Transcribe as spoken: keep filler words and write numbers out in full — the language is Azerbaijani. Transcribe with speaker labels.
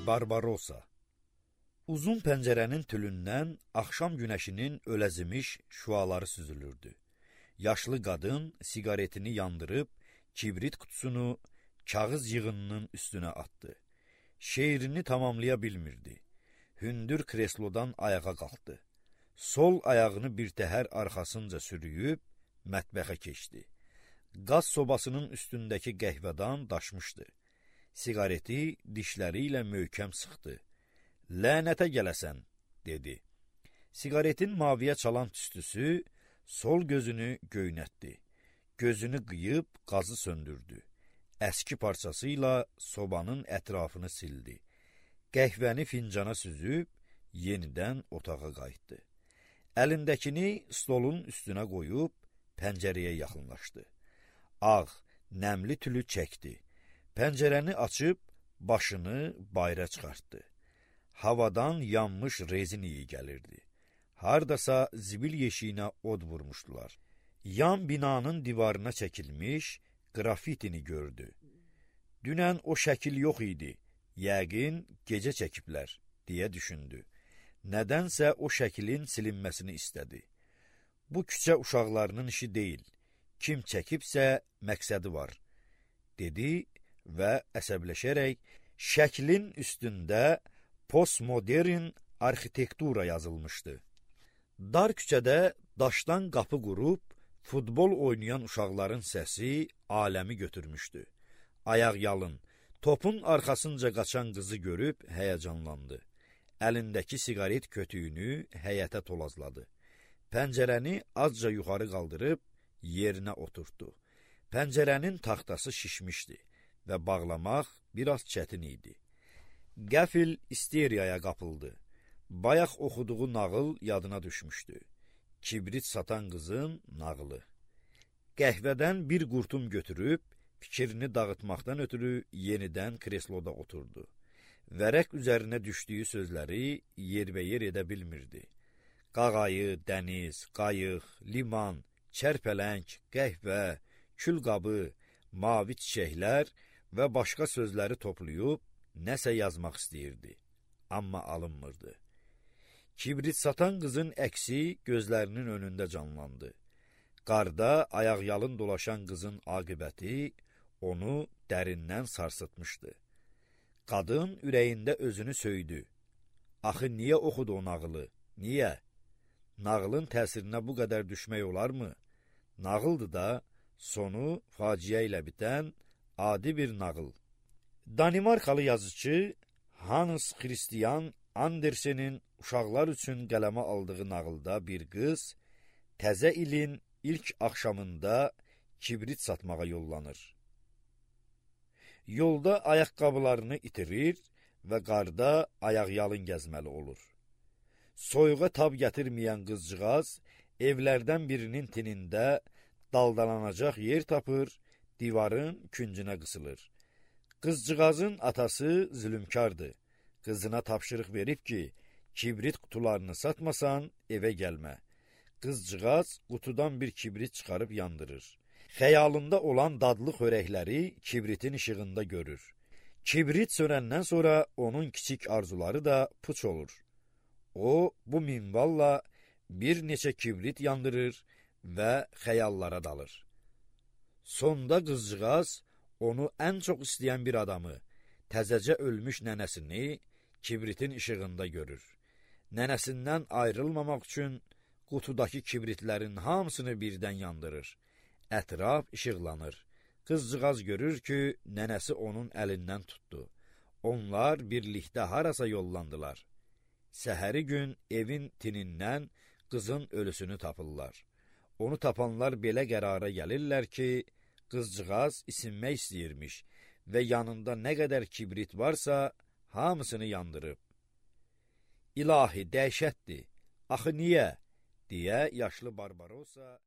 Speaker 1: Barbarosa. Uzun pəncərənin tülündən axşam günəşinin öləzimiş şüaları süzülürdü. Yaşlı qadın siqaretini yandırıb kibrit qutusunu kağız yığınının üstünə atdı. Şeirini tamamlaya bilmirdi. Hündür kreslodan ayağa qalxdı. Sol ayağını bir təhər arxasınca sürüyüb mətbəxə keçdi. Qaz sobasının üstündəki qəhvədan daşmışdı. Siqareti dişləri ilə möhkəm sıxdı. Lənətə gələsən, dedi. Siqaretin maviyə çalan tüstüsü sol gözünü göynətdi. Gözünü qıyıb qazı söndürdü. Əski parçası ilə sobanın ətrafını sildi. Qəhvəni fincana süzüb yenidən otağa qayıtdı. Əlindəkini stolun üstünə qoyub pəncərəyə yaxınlaşdı. Ağ, nəmli tülü çəkdi. Pəncərəni açıb başını bayıra çıxartdı. Havadan yanmış rezin iyi gəlirdi. Hardasa zibil yeşiyinə od vurmuşdular. Yan binanın divarına çəkilmiş qrafitini gördü. Dünən o şəkil yox idi, yəqin gecə çəkiblər, deyə düşündü. Nədənsə o şəkilin silinməsini istədi. Bu küçə uşaqlarının işi deyil, kim çəkibsə məqsədi var, dedi və əsəbləşərək şəklin üstündə postmodern arxitektura yazılmışdı. Dar küçədə daşdan qapı qurub futbol oynayan uşaqların səsi aləmi götürmüşdü. Ayaq yalın, topun arxasınca qaçan qızı görüb həyəcanlandı. Əlindəki siqaret kötüyünü həyətə tolazladı. Pəncərəni azca yuxarı qaldırıb yerinə oturtdu. Pəncərənin taxtası şişmişdi və bağlamaq biraz çətin idi. Qəfil isteriyaya qapıldı. Bayaq oxuduğu nağıl yadına düşmüşdü. Kibrit satan qızın nağılı. Qəhvədən bir qurtum götürüb, fikrini dağıtmaqdan ötürü yenidən kresloda oturdu. Vərəq üzərinə düşdüyü sözləri yerbəyer edə bilmirdi. Qağayı, dəniz, qayıq, liman, çərpələng, qəhvə, külqabı, mavi çiçəklər və başqa sözləri toplayıb nəsə yazmaq istəyirdi, amma alınmırdı. Kibrit satan qızın əksi gözlərinin önündə canlandı. Qarda ayaqyalın dolaşan qızın aqibəti onu dərindən sarsıtmışdı. Qadın ürəyində özünü söydü. Axı niyə oxudu o nağılı? Niyə? Nağılın təsirinə bu qədər düşmək olarmı? Nağıldır da, sonu faciə ilə bitən adi bir nağıl. Danimarkalı yazıcı Hans Christian Andersen'in uşaqlar üçün qələmə aldığı nağılda bir qız təzə ilin ilk axşamında kibrit satmağa yollanır. Yolda ayaqqabılarını itirir və qarda ayaqyalın gəzməli olur. Soyuğa tab gətirməyən qızcığaz evlərdən birinin tinində daldalanacaq yer tapır, divarın küncünə qısılır. Qızcığazın atası zülümkardır. Qızına tapşırıq verib ki, kibrit qutularını satmasan evə gəlmə. Qızcığaz qutudan bir kibrit çıxarıb yandırır. Xəyalında olan dadlı xörəkləri kibritin işığında görür. Kibrit sönəndən sonra onun kiçik arzuları da puç olur. O, bu minvalla bir neçə kibrit yandırır və xəyallara dalır. Sonda qızcığaz onu ən çox istəyən bir adamı, təzəcə ölmüş nənəsini kibritin işığında görür. Nənəsindən ayrılmamaq üçün qutudakı kibritlərin hamısını birdən yandırır. Ətraf işıqlanır. Qızcığaz görür ki, nənəsi onun əlindən tutdu. Onlar birlikdə harasa yollandılar. Səhəri gün evin tinindən qızın ölüsünü tapırlar. Onu tapanlar belə qərara gəlirlər ki, qızcığaz isinmək istəyirmiş və yanında nə qədər kibrit varsa, hamısını yandırıb. İlahi, dəhşətdir, axı niyə? Deyə yaşlı Barbarosa